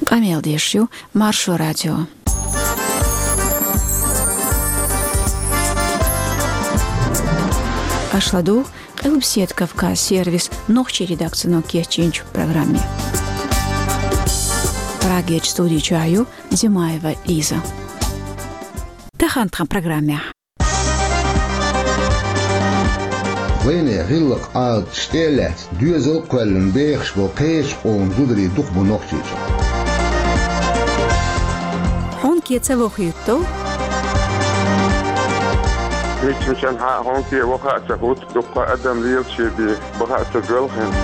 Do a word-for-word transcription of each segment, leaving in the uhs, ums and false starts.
Къамел деш ю Маршо радио. Аша ладугӀу Къилбаседа Кавказ сервисан нохчийн редакцино кечйинчу программе. Прагерчу студи чохь ю Димаева Лиза. Тахана тхан программехь. Вайнехан гӀиллакх-Ӏадаташ тӀе а лаьцна, доьзал а кхоьллина бехаш болу кхечу къоман зударий дукха бу Нохчийчохь. Хьонке ца вохуьйту. Миччанхьа а хьонке ваха а ца хӀутту, дуккха адам лелаче бен. Баха а ца гоьлхина.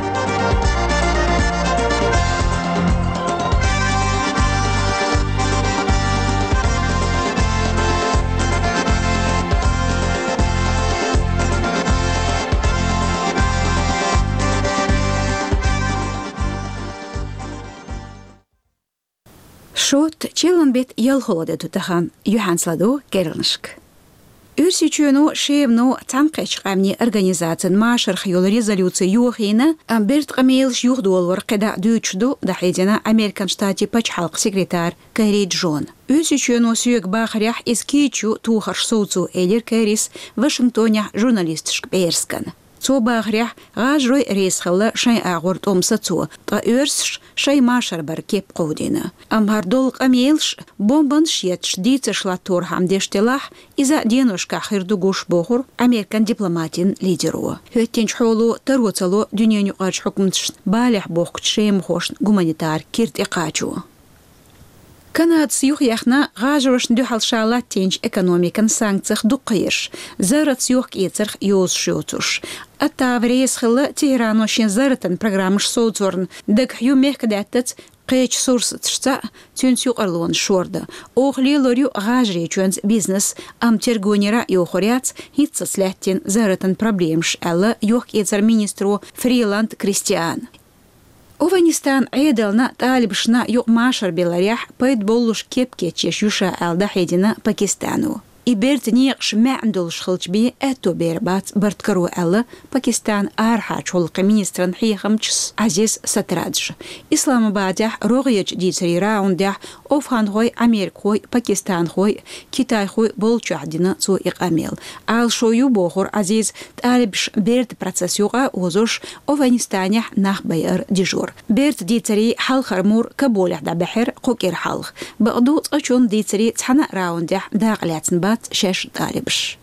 Шот, чиллан беттан ялхалгӀа де ду тахана, юьхьанца ладугӀу керланашка. Оьрсийчоьно, Шемано, Цхьаьнакхеттачу Къаьмнийн Организацин машарх йолу резолюци йохийна, амма бертан къамелаш юхадолорах кхидӀа а дуьйцуш ду, дӀахьедина Американ Штатийн пачхьалкхан секретарь Керри Джона. Оьрсийчоьно соьга бахарехь, иза кийча ю тохарш совцо, элира Керрис Вашингтонехь журналисташка пӀераскан. Цо бахарехь, гӀажарой реза хилла шайн агӀор тӀом сацо, ткъа оьрсаша шайн машар баран кеп кховдийна. Амма хӀара долу къамелаш, бомбанаш етташ дийцарш латторхьама деш делахь, иза деношкахь хир ду гуш, бохура Американ дипломатийн лидеро. ХӀоьттинчу хьоло таро ца ло дуьненаюкъарчу хьукматашна балехь бохкучу шемахошна гуманитар кира тӀекхачо. Канадас юхаяьхна гӀажарошна дуьхьал ша латтийначу экономикан санкцех дуккха ерш, зарратца йохка-эцарх йозуш йоцурш. Оттава реза хилла Тегерано шен зарратан программаш совцорна, дагахь ю мехкадаьттаза кхечу сурсаташца цуьнца юкъарлонаш шордан. Оха лелор ю гӀажарийчоьнца бизнес, амма тергонера а йохур яц хӀинццалц лаьттина зарратан проблемаш, аьлла йохка-эцаран министро Фриланд Кристиана. Афганистанан Ӏедална а, талибашна а юкъа машар биларехь пайда боллуш кеп кечъеш ю ша, аьлла дӀахьедина Пакистано. И бертан некъаш маьӀна долуш хилча бен аьтто бер бац барт каро, аьлла Пакистанан арахьарчу гӀуллакхийн министран хьехамчас Ӏазиз Сатрадж. Исламабадехь рогӀерчу дийцарийн раундехь афганхой, америкахой, пакистанхой, китайхой болчохь дина цо и къамел. Ӏалашо ю, бохура Ӏазиза, талибаш бертан процесс юкъа а озуш, Афганистанехь нах байар дижор. Бертан дийцарийн хьалхара мур Кабулехь дӀабаьхьира кху кӀира хьалха. Бакъду, цкъачунна дийцарийн цхьана а раундехь дакъа лаьцна бац шаьш талибаш.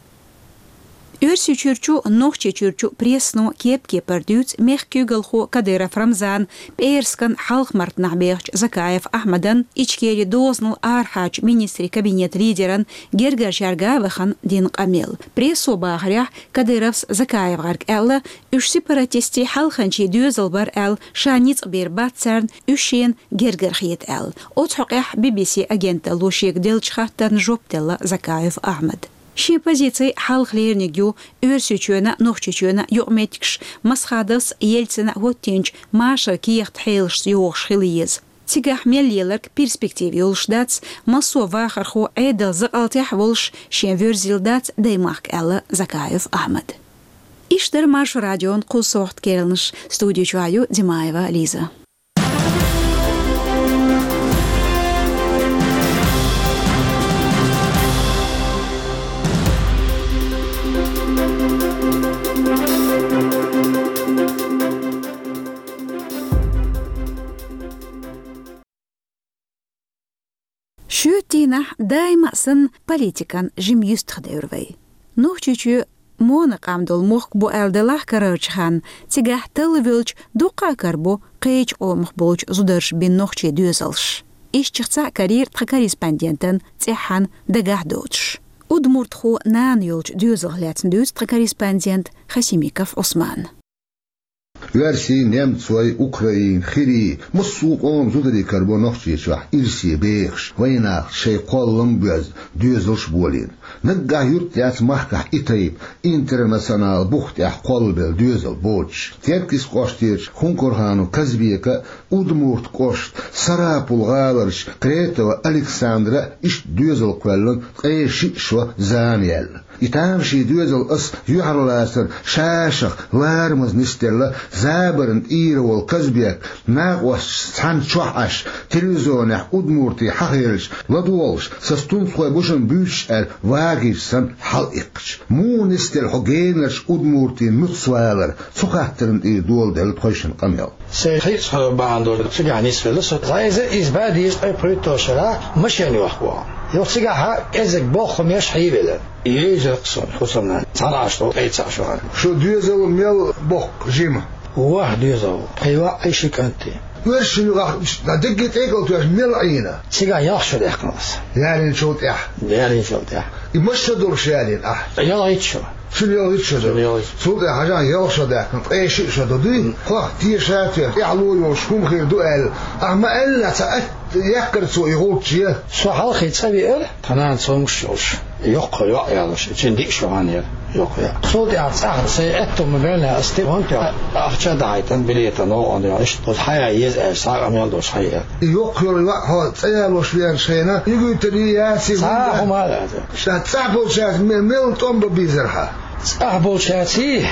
Оьрсийчуьрчу, Нохчийчуьрчу прессано кеп-кепара дуьйцу мехкан куьйгалхо Кадыров Рамзана пӀераскан хьалха-мартанахь бехачу Закаев Ахьмадан, Ичкерин дозанал арахьарчу министрийн кабинетан лидеран гергарчаьрга а вахана дина къамел. Прессо бахарехь, Кадыровс ЗакаевгӀаьрга аьлла, уьш сепаратистийн хьалханчийн доьзал бара аьлла, ша ницкъ бийр бац царна, уьш шена гергара хета аьлла. Оцу хьокъехь Би-Би-Си агенталло шега деллачу хаттарна жоп делла Закаев Ахьмада. Шен позици хьалха леринарг ю, Оьрсийчоьнан а, Нохчийчоьнан а юкъаметтигаш Масхадовс, Ельцина хӀоттийначу машаран кехат-хьелашца йогӀуш хила еза. Цигахь мел леларг перспектива йолуш дац, массо а вахархо Ӏедалан закъалтехь а волуш шен воьрзийла дац даймахка, аьлла Закаев Ахьмада. Иштта дара Маршо радион кху сохьта керланаш. Студи чохь ю Димаева Лиза. Шоьтан дийнахь даима а санна политикан жима юьстахдевр вай. Нохчийчоь монакъам долу мохк бу аьлла делахь карарчу ханна, цигахь талла воьлча дуккха а карабо кхечу къомах болчу зударша бина нохчийн доьзалш. Ишттачех цхьаъ карийра тхан корреспондентан цӀеххьана дагахь доцуш. Удмуртхо нана йолчу доьзалх лаьцна дуьйцу тхан корреспондента Хасимиков Ӏусмана. Оьрсий, немцой, украин, хирий, массо а къоман зударий карабо Нохчийчохь ирсе бехаш, вайнахаца шайн кхоллам а боьзна, доьзалш а болийна. Наггахь юрт яц махкахь и тайпа интернационал бух тӀехь кхоллабелла доьзал боцуш. Теркйист кӀоштерчу Хункурханов Казбека а, Удмурт кӀоштан Сарапул гӀаларчу Кретова Александра а иштта доьзал кхоьллина ткъе шиъ шо зама яьлла. И тамашийна доьзал ас юьхьарлацар шашах ларамаза нисделла Забарна тӀера волу Казбек накъосташца цхьаьна чохь Ӏаш, телевизионехь удмуртий хьахийлачу ладогӀалуш, сан стунцхой бу шуна буьйцуш аьлла, вагийча санна хьала иккхича. Муха нисделла хьо генарчу удмуртийн нуц валар? Цу хаттарна тӀера доладелла тхойшинна къамел. Сайн хийцаха бахьана долу цигахь нисвелла со. Зайза иза бадийса ткъе пхуьйтталгӀа шарахь машен йохку вахана. Юха цигахь кӀезиг боххамеш хьийвелла. Йийзира-кх суна хӀусамнана, цхьана Ӏаш долу ткъе цхьаъ шо. Шу доьзал мел боккху жима? ВорхӀ доьзал ву. Пхи йоӀ, ши кӀант. Оьрсийн юкъахь дерриге тӀекӀал тоьхча мел Ӏийна? Цигахь ялх шо даьккхина аса. Ялийначул тӀаьхьа? Ялийначул тӀаьхьа. И маша долуш ялийна ахь? ЯлхӀитта шо. Цуьнан ялхӀитта шо ду. Цуьнан ялхӀитта. Цул тӀаьхьа хьажахьа ялх шо даьккхина, ткъе шиъ шо ду дуй? Хм. Хох теша а тоьхна, тӀаьхьа ло йолуш хӀума хир ду аьлла. Ахьа ма аьлла, ца атта яккхара цо и гӀулчче. Со хьалхе цӀа веара, тхан нана цомгуш йолуш. Йоккха йоӀ ялош, цуьнан диъ шо хан яра, йоккха йоӀ. Цул тӀаьхьа цӀахь сайн аьтту ма баьллина ас тӀе ван тоьхна, ахча дахьийтина, билета новкъа йолуш, оцу хьаян еза аьлча, схьа а къамел долуш хьайа. И йоккха йолу йоӀ хьо цӀа ялош веанчу хенахь, юьгуьйтур яций? Цхьа а хӀума а лаьцна. Ша цӀахь болчаьрца ме-, мел тӀом бан безара хьан? ЦӀахь болчаьрций,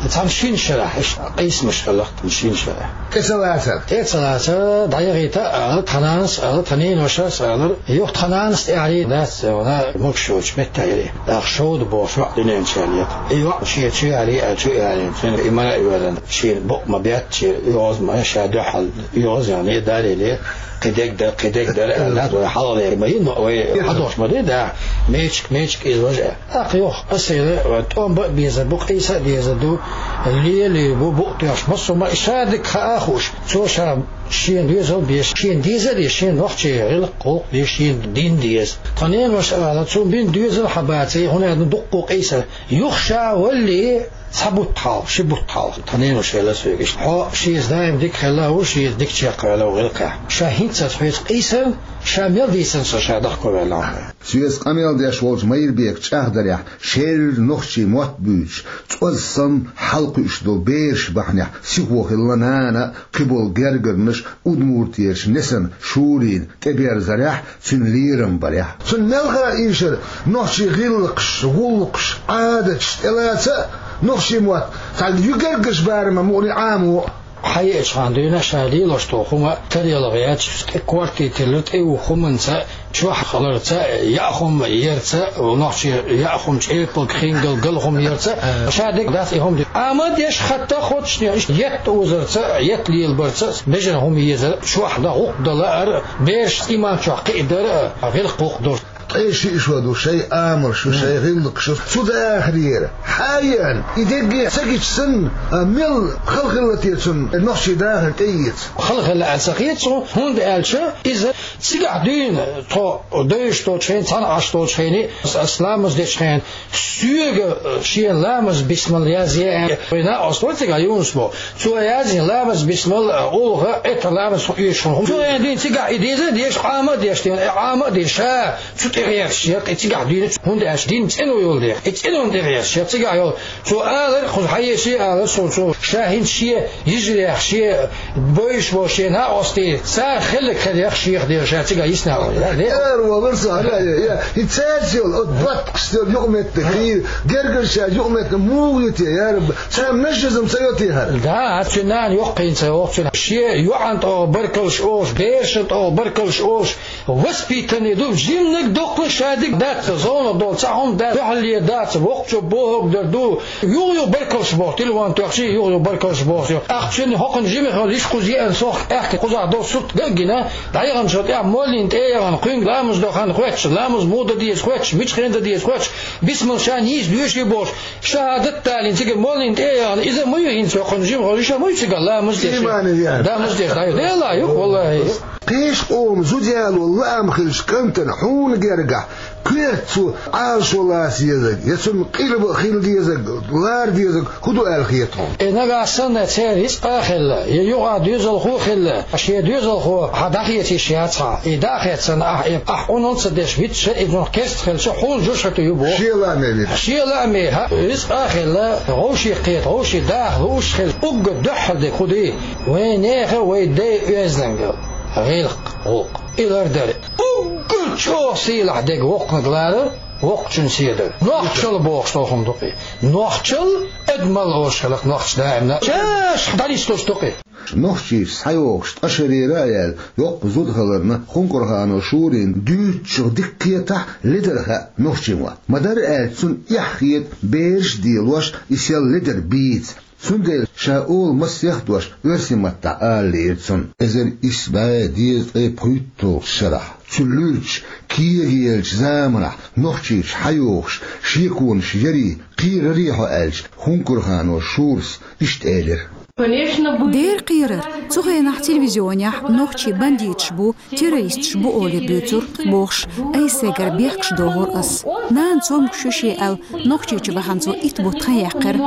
цхьана шина шарахь, иштта къийсамаш хилла-кх тхан шина шарахь. ТӀе ца лацара? ТӀе ца лацара, дӀаяхийта а ала, тхан нанас а ала, тхан неношас а алара, юха тхан нанас тӀаьхьарий дац, вана могуш йоцуш меттахь яра. ТӀаккха Шовда бохуш йоӀ дуьнен чу яьлла. И йоӀ шен чу яьлла, аьлла чу а яьлла, цуьнан и мара а воьллина, шена букъ ма беттачу, оьгӀаз ма, ша дуьхьал оьгӀаз яхна, далийла, кхин дерг дара, кхин дерг дара, аьлла, вай хьалхалера ма йина, вай хьадогӀуш ма ду, да, мечик, мечик иза важа. ТӀаккха юха аса элира, тӀом бан а безар бу, къийса а дезар ду, лелий бу, букъ тоьхча, массо а ма, ша дика хаа а хууш, цо ша шена доьзал а беш, шена деза а деза, шена нохчийн гӀиллакх-гӀуллакх деза, шена дин деза. Тхан неноша ала, цунна бина доьзал хьан баций, хӀунда аьлча дуккха къийсар. Юха ша валале, цхьа бутт хьалха, ши бутт хьалха, тхан неноша элира соьга иштта: хьо шеца даим дика хилла а ву, шеца дика чекхваьлла а ву гӀиллакхехь. Ша хӀинццалц хьоьца къийсар, ша мел дийцина со ша дахковаьлла хьуна. Соьца къамел деш волчу Майрбека чӀагӀдарехь, шерра нохчийн мотт буьйцуш, цӀоз санна хьалакхуьуш долу бераш бахьанехь сихо хилла нана а, кхиболу гергарнаш а, удмуртера несана Шурина тӀеберзарехь, цуьнан лерам барехь. Цунна мелхо ийшира нохчийн гӀиллакхаш, гӀуллакхаш, Ӏадаташ тӀелаца а, нохчийн мотт, цхьа юьгергарчу барамехь мукъане Ӏамо а. Хьаеача хана дуьйна ша лелош долу хӀума тарелахь яц, тӀе корта тиллар, тӀе юха хӀуманца, чохь хиларца, яа хӀума ярца, нохчийн яа хӀума, чӀепалг, хингал, гал хӀума ярца, ша дерг дац и хӀума деш. Ӏама а деш, хатта а хоттуш, иштта етт озарца, етт лелабарца, бежана хӀума езар, чохь дан, гӀуллакх дан лаар, бераш иман чохь кхиадар, гӀиллакх-гӀуллакх дар. Ткъе шиъ шо ду шайн амалш, шайн гӀиллакхаш. Цу дахарера, хьан а еана, и дерриге ца гича санна, а, мел хала хилла те цунна нохчийн дахар тӀеэца? Хала хилла аьлла ца хета суна, хӀунда аьлча иза цигахь дуьйна, тхо девзаш долчу хенахь, цхьана Ӏаш долчу хенахь, ас ламаз дечу хенахь, соьга, э, шена ламаз бисмал язъе аьлла. Вайн накъост вара цигахь, Юнус боху. Цо яздина ламаз бисмал, э, улха, эта ламаз хӀун оьшуш хӀума. Цо яздина цигахь и деза а деш, Ӏама а деш, дена, э, Ӏама а деш, ша цу тӀе гӀерташ яра, и цигахь дуьйна, хӀунда аьлча дин цӀено йолу дела. И цӀенонна тӀе гӀерташ яра, цигахь йолу. Цо алар, кхуза хьаеша алар суна, цо ша хӀинца шен йижарех, шен бевзаш болу шен накъостий, цара хилларг хиларх шех деза ша цигахь йисна вара. Ара валар со, ара, я, я, и цаьрца йолу, оцу боттагӀашца йолу юкъаметтиг, и гергарчаьрца юкъаметтиг муха ю те, я Рабби, царна нажизм ца йо те хӀара? Да, цуьнан нана йоккхийна ца йогӀу цуьнан. Шен йоӀана тӀехула баркаллаш олуш, берашна тӀехула баркаллаш олуш, воспитанный ду, жиманиг доккхуш ша дика дац, зовнах долу цхьа хӀума дац, дуьхьалле дац, воккхачо бохург дар ду. Юха-юха баркаллаш боху, телефон тоьхчий, юха-юха баркаллаш боху. Ахча хӀокхунна жимахь йолу йиш кхуза еана сох, аьхка кхузахь долу сурт ган а гина, дӀаяханчул тӀаьхьа моллина тӀе а яхана, кхуьнга ламаз до хан хоьттуш, ламаз муха дан деза хоьттуш, мича хенахь дан деза хоьттуш, бисмал ша нийса доьший бохуш, шахӀадат далийна, цигара моллина тӀе а яхана, иза ма ю хӀинца хӀокхунна жимахь йолу йиша ма ю цигахь ламаз деш. Иман ян. Ламаз деш дӀа ю. Делахь ю, валлахӀи. Кхечу къоман зуда яло лаам хилча кӀантана хьуна гергахь, коьрта цо Ӏалашо лаца езарг, я цунна къилба хила дезарг, лара дезарг хӀун ду аьлла хета хьуна? Э, нагахь санна церан рицкъа а хилла, я юкъахь доьзалхо а хилла, шен доьзалхо хьан дӀахеца йиш яц хьан, и дӀа а хецна, ахь, э, ахь къуналла ца деш витча, и цунах керста хилча, хьуна жуьгтий ю боху. Шен лааме витча. Шен лааме, хьан рицкъа а хилла, вовшех кхета, вовшийн даха лууш хилча, уггар дуьххьал дерг хӀун ду? Вайн нехан, вайн дайн оьздангалла, гӀиллакх, гӀуллакх, и лардар. Уггар чӀогӀа сийлахь дерг воккханиг ларар, Воккхачун седа. Нохчалла бохуш тохам дукъе. Нохчалла адамалла ош хиларх нохча даимна. Чаш дӀанисдеш дукъе. Нохчийчу схьайогӀуш ткъа шарера а яьлла, йоккха зуда хиларна, Хункурханов Шурина дуьйцучух дика кхетахь, ледар хаьа нохчийн мотт. Ма-дарра аьлча, цунна эхь хета бераш а делош, и сел ледар бийца. Цундела ша олу массех а дош оьрсийн маттахь ала лиира цунна. Эзар исс бӀе дезткъе пхийтталгӀачу шарахь, цу луьрачу кегаеллачу заманахь Нохчийчу схьайогӀуш, шеконаш ярий, кхерарий хьо аьлча, Хункурханов Шурас иштта элира: Дера кхерара, цу хенахь телевизионехь нохчий бандиташ бу, террористаш бу олий буьйцура, бохуш, айсегара бехкаш дохура ас. Нана цомгуш ю шен аьлла, Нохчийчу вахана цо итт бутт хан яьккхира.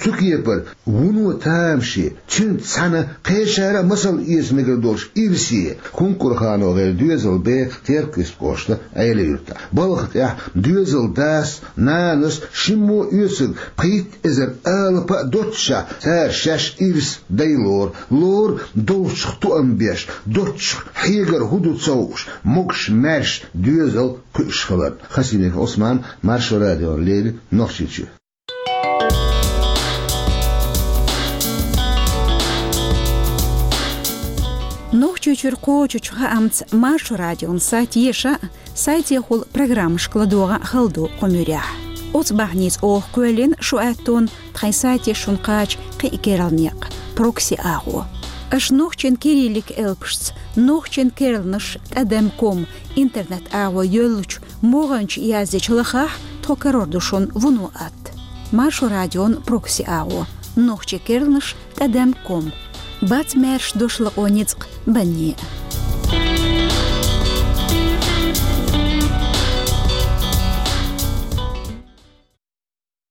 Цу кепара вуно тамаше, цуьнца цхьаьна кхечара а масал эца мегар долуш ирсе, ХункурхановгӀеран доьзал беха Теркйист кӀоштан Ӏела-юьртахь. Балха тӀехь доьзалан дас, нанас, шиммо оьцург пхийтта эзар алапа а доццушехь, цара шаьш ирс дай лору, лору долчух тоам беш, доцчух хьегар хӀун ду ца хууш, могуш-маьрша доьзал кхуьуш хиларна. Хасимиков Ӏусман, Маршо радиона леррина, Нохчийчоь. Нохчийчуьра кхочучу хаамца Маршо радион сайт еша а, сайтехула программашка ладогӀа а хала ду кху муьрехь. Оцу бахьаница оха кхоьллина шу аьттонна тхайн сайте шуна кхача кхин а керла некъ, прокси агӀо. Аша нохчийн кириллик элпашца, нохчийн керланаш тӀадам ком интернет-агӀо йоьллучу могӀанчу яздича лахахь, тхо карор ду шуна вуно атта. Маршо радион прокси агӀо, нохчийн керланаш тӀадам ком. Бац маьрша дош лакъо ницкъ банне.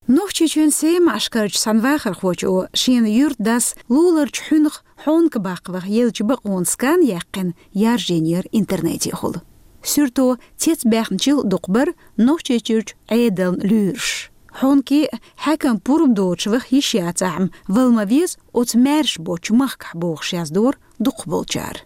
Нохчийчоьнан Сема-Ашкарчу цхьана вахархочо шена юьртдас луларчу хьуьнах хьонка баккха ваха еллачу бакъонан скан яьккхина яржийнера интернетехула. Суьрто цецбаьхначул дукха бара Нохчийчуьрчу Ӏедална луьйраш. Хьонке хьаькам пурба доцуш ваха йиш яцахь-м, вала ма веза оцу маьрша боцчу махкахь, бохуш яздора дукхахболчара.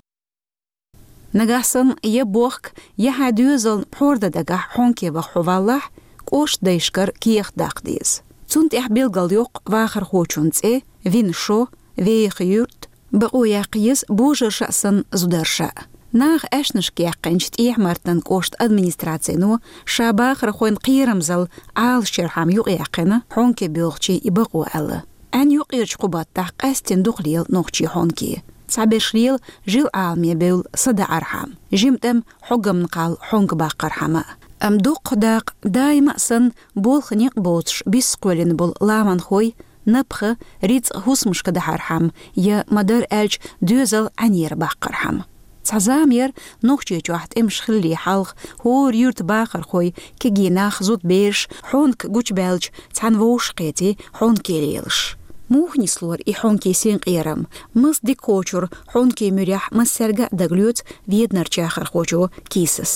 Нагахь санна я бохка, я хьайн доьзална пхьор дан дагахь хьонке ваха хьо валлахь, кӀоштан дайшкара кехат даккха деза. Цунна тӀехь билгалйоккху вахархочун цӀе, вина шо, веха юрт, бакъо яккха еза божарша а санна, зударша а. Наха аьшнашка яьккхинчу ТӀехьа-Мартанан кӀоштан администрацино ша бахархойн кхерамзалла Ӏалашъярхьама юкъаяьккхина хьонке боьлхучийн и бакъо аьлла. Ӏаьнан юккъерчу кху баттахь къаьсттина дукха лела нохчийн хьонке. Цхьаберш лела жил Ӏаламе бевлла садаӀархьама, жимма тӀам хьогамна кхалла хьонка баккхархьама. Амма дуккха дакъа, даима а санна, болх-некъ боцуш, биса кхоьллина болу ламанхой, напха, рицкъа хӀусамашка дахьархьама я, ма-дарра аьлча, доьзал Ӏаьнера баккхархьама. Цхьа зама яра, Нохчийчохь тӀемаш хиллале хьалха хӀора юьртан бахархой, кегий нах, зудабераш хьонка гучубаьлча, цхьаьна вовшахкхетий хьонке лелаш. Муха нислора и хьонкийн синкъерам, маса дика кхочура хьонкийн муьрехь массаьрга а, дагалоьцу Веданарчу яхархочо Кисас.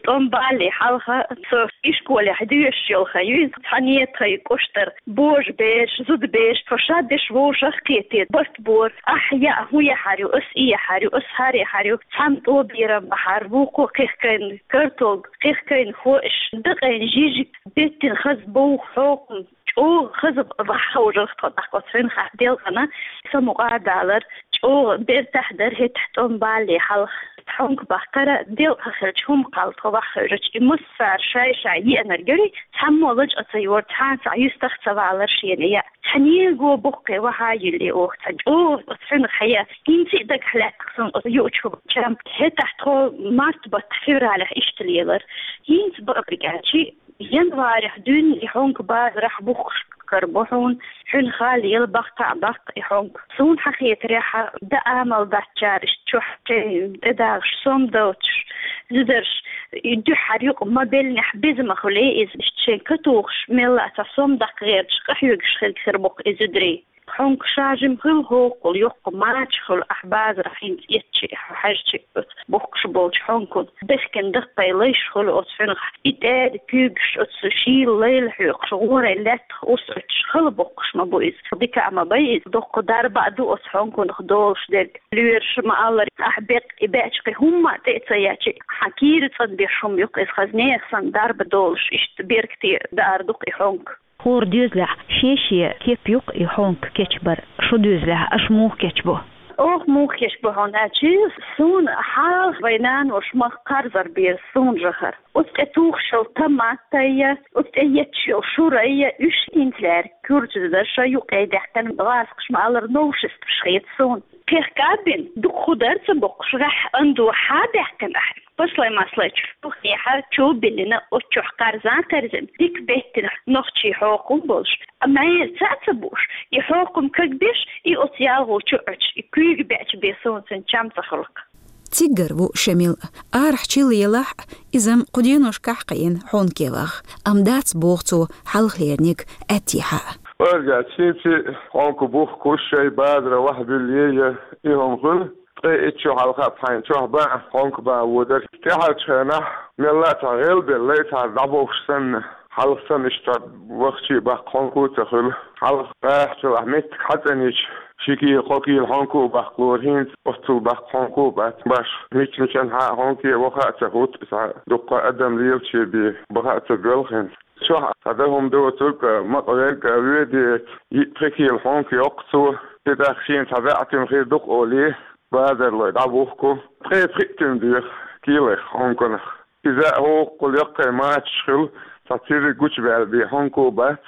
ТӀом балале хьалха со ишколехь доьшуш йолу хан ю иза, цхьаьна тхайн кӀоштара божабераш, зудабераш, тхо шадерш вовшах а кхетий, барт бора. Ахь яа, хӀун яхьар ю, ас и яхьар ю, ас хӀара яхьар ю, цхьана тӀо берам бахьара, вукхо кхехкийна картолг, кхехкийна хӀоаш, дакъийна жижиг, беттина хаза бовха хьокхам, чӀогӀа хаза ваххьовжарх тхо тӀаккха оцу хьуьнхахь делкъана, самукъа а далар, чӀогӀа бертахь дара хӀетахь тӀом балале хьалха. Хьонка баккхара делкъа хилча, хӀума кхалла тхо ваххьевжича, и массара шай-шай еанарг яра, цхьаммо лачкъа ца йора, цхьа а цхьа юьстах ца валара шена яа. Цхьа ненан го боккхий вахьа а йиллий оха цхьа чӀогӀа оцу хьуьнах хьая, хӀинца а дагахь лаьттах суна оцу юучу хӀуманчам. ХӀетахь тхо март баттахь, февралехь иштта лелара. ХӀинца бакъдерг аьлча, январехь дуьйна и хьонка базарахь бухкуш кара бу хьуна, хьуьнха лела, баккха а баккха и хьонка. Суна хьан хетарехь, дан амал дац цара иштта чохь шайн тӀедагӀаш сом доцуш, зударша и дуьххьара юкъа ма беллинехь беза ма хуьлий иза, иштта шайн катухуш, мелла а цхьа сом даккха гӀерташ, къахьоьгуш хилла хир бу-кх и зударий. Хьонка шажим хуьлу хӀокхул, йоккха мача хуьлу, ахь базарахь хӀинца эцчи, хьажчи оцу бухкуш болчу хьонкун. Бехкина даккхий лайш хуьлу оцу хьуьнах, и тӀаьда куьйгаш оцу шийла лайла хьоькхуш, гӀорай лаьттах урс оьцуш хала боккхуш ма бу иза. Дика а ма бай иза, доккха дарба а ду оцу хьонкунах долуш дерг. Лоьраша ма-аллара, ахь беккъа и баьчкхи хӀумма а тӀе а ца яьчи, хьан кийра цӀанбеш хӀума юккъа иза хаза нехан санна дарба долуш, иштта беркате даар ду-кх и хьонка. ХӀора доьзалехь шен-шен кеп ю-кх и хьонка кечбар. Шун доьзалехь аша муха кечбо? Оха муха кечбо хьуна аьлчи, суна хьалха вайн наноша мах кхарзар бера суна жахар. Оцу тӀе тухуш йолу томатайя, оцу тӀе етташ йолу шурайя, уьш хӀинца лаьрга курчаза ша юккъе даьккхина гӀазкхаша ма-аллара новшестваш хета суна. Кхехка а бина, дукха хӀу дара ца боккхуш, гӀеххьа андо хьа а даьккхина ахь. Паслай-маслай чу хьехьа чу а биллина, оцу чохь кхарзан а кхерзина, дика беттина нохчий хьокхам болуш, а мӀера цхьаъ а ца бууш, и хьокхам кагбеш, и оцу ялхо чу Ӏуьттуш, и куьйга беача бен суна цуьнан чам ца хуьлу-кх. Циггара ву Шамил. Арахь чилла елахь а, иза-м кху деношкахь кхиъна хьонке ваха. Амма дац, боху цо, хьалхалерниг аьттехьа а. Орга, цинци хьонка бухкуш шайн базара ваха буьллий я, и хӀума хуьлу. Ткъе итт шо хьалха хьайна чохь бан а, хьонка бан а водар. ТӀаьхьарчу хенахь мелла а цхьа гӀелбеллай, цхьа дӀабовш санна, хьалха санна иштта вахчий баккха хьонка а ца хуьлу. Хьалха гӀахьчулахь меттиг хьацӀанийча, ши кийла, кхо кийла хьонка а баккха лора, хӀинца оццул баккха хьонка а бац баш. Мича-мичанхьа а хьонке ваха а ца хӀутту, цхьа дуккха адам лелаче бен баха а ца боьлху хӀинца. Чохь цхьа дан хӀума доцург а, макъверг а воьдий, йиъ-пхи кийла хьонка йоккху цо. И тӀаккха шена цхьа баьӀтим хир ду-кх олий, базарлой дӀабухку. Ткъе пхиъ тим доьху кийлех хьонканах. Иза а хӀокхул яккхий мачаш хуьлу, цхьа цирриг гучубаьлла бен хьонка а бац.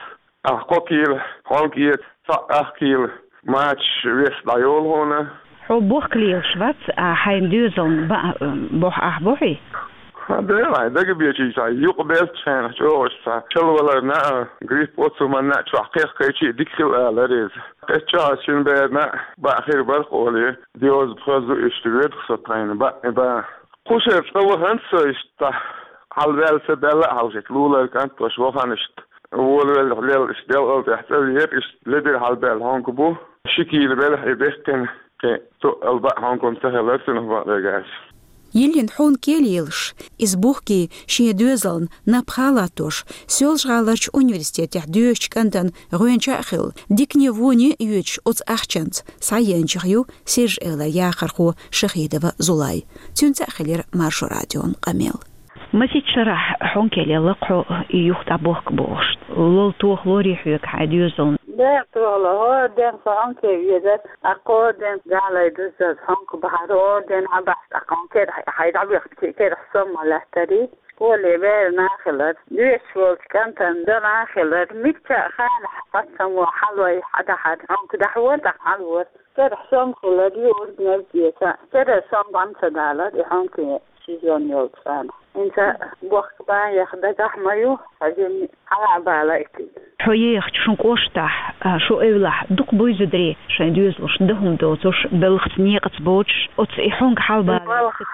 Ахь кхо кийла хьонка эца, цхьаъ ах кийла мачаш вес дӀайолу хьуна. Хьо бохка лелаш вац, а хьайн доьзална баа бохь ахь бохьий? Ха, дела, дага бечий цхьа юкъа беллачу хенахь чӀогӀа цхьа шалваларна а, грипп оцу манна а чохь кхехкайчи а дика хила алара иза. Кхечча а шина берна а баа хир бара-кх олий, диоза пхозу иштта воьду-кх со тхайна баа, баа. Кху шераш цкъа вахана со иштта, хьалаваьлла ца баьлла а хьалха иштта лулара кӀант ваша вахана иштта. Волавелла лелла иштта делкъал тӀехь цӀа веара, иштта ледира хьалабаьлла хьонка бу. Ши кийла белахь и бехкина, кхин тоъал баа хьонка-м ца хилар цунах бакъдерг аьлча. Йиллина хьонке лелаш, иза бухкий шен доьзална напха латтош, Соьлжа-ГӀаларчу университетехь доьшучу кӀантана гӀоьнча а хилла, дикане воне а йоьдуш оцу ахчанца схьаеанчех ю Сиржа-Эвлара яхархо Шахидова Зулай. Цуьнца а хилира Маршо радион къамел. Масех шарахь хьонке лелла-кх хьо, и юха дӀабохка бохуш. Лол тохалорий хьоьга хьайн доьзална? Бер тохало, хӀора ден со хьонке везар, а кхо ден гӀалай дуззаз хьонка бахьара, хӀора ден хьабахьа, а хьонке хьай дӀабехка, керахь сом ма лаьттарий. Школе бер нах хилар, доьшуш волчу кӀантана дан нах хилар, мигча а ханахь хьацамо хьалой хьадахьар, хьонка дахьора, тӀаккха хьалвора. Керахь сом хилар, юург неза деца, керара сом дӀа ма ца далар, и хьонке сезон йолчу хенахь. ХӀинца бохка бан яха дагахь ма ю, хьажимни хьала а бала итиг. Хьо ехачу шун кӀоштахь, а, шун эвлахь дукха буй зударий, шайн доьзалш дан хӀума доцуш, белхаца некъаца боцуш, оцу и хьонка хьалабала? Балха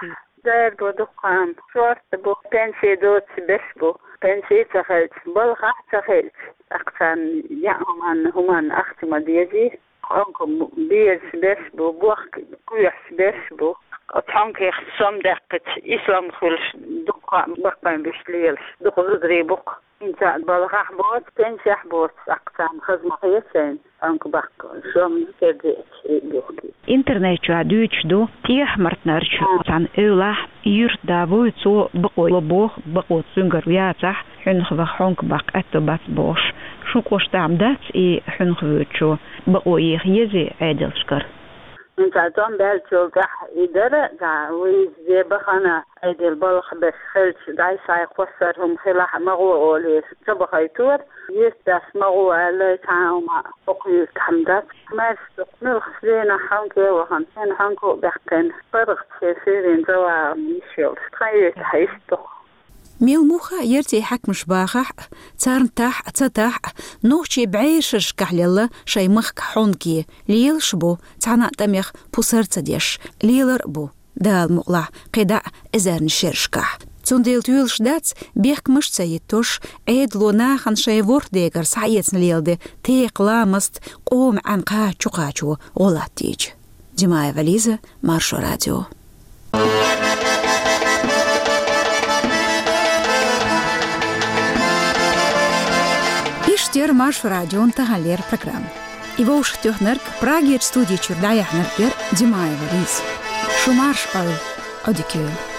дерг бу дукха, шорта бу, пенсий доцуш берш бу, пенсий ца хилча, балхахь ца хилча, тӀаккха царна яа хӀуманна, хӀуманна ахча ма дезий. Хьонка безаш берш бу, бохка кхоьхьуш берш бу. Оцу хьонкех сом даьккхича, и сом хуьлуш дукха баккхайн буьйш лелаш, дукха зударий бу-кх. ХӀинца балхахь боцу, пенсехь боцу, тӀаккха царна хаза ма хета шайна хьонка баккха, сом кердеача и бухкий. Интернет чохь дуьйцуш ду, ТӀехьа-Мартанарчу цхьана эвлахь юьртда вуй, цо бакъо ло боху, бакъо цуьнгара яцахь, хьуьнах ваха хьонка баккха аьтто бац бохуш. Шун кӀоштахь-м дац и хьуьнах воьдучо бакъо еха езий Ӏедалшкара? ХӀинца тӀом баьллачул тӀаьхьа и дара, да, вуьйза бахана, Ӏедал балха берш хилча, дӀай-схьай кхоссар хӀума хилахь, магӀо олий, ца бахайтора, юьртдас магӀо аьлла, цхьа а хӀума хӀокху юьртахь-м дац. Маьрша ду-кх, муьлххачу дийнахь хьонке вахана, шена хьонка а баьккхина, паргӀатчу суьйрин завалан йиш йолуш, тхан юьртахь иштта ду-кх. Мел муха а ярций хьаькамаш бахахь а, царна тахь а, ца тахь а, нохчий бӀешерашкахь лелла шайн махка хьонке, лелаш а бу, цхьана а тӀамех пусар а ца деш, лелар а бу, Дала мукъалахь, кхидӀа а эзарнаш шерашкахь. Цундела тоьлуш дац бехкамаш ца йиттош, Ӏедало нахана шайн ворхӀ дегара схьаэцна леладе текха ламаст къоман Ӏаьнан кхача чукхачо гӀо латтийча. Димаева Лиза, Маршо радио. Иштта яра Маршо радион таханлера программа. И вовшахтоьхнарг, Прагерчу студи чуьра дӀаяьхьнарг яра Димаева Лиза. Шу марша Ӏойла, Ӏодика йойла.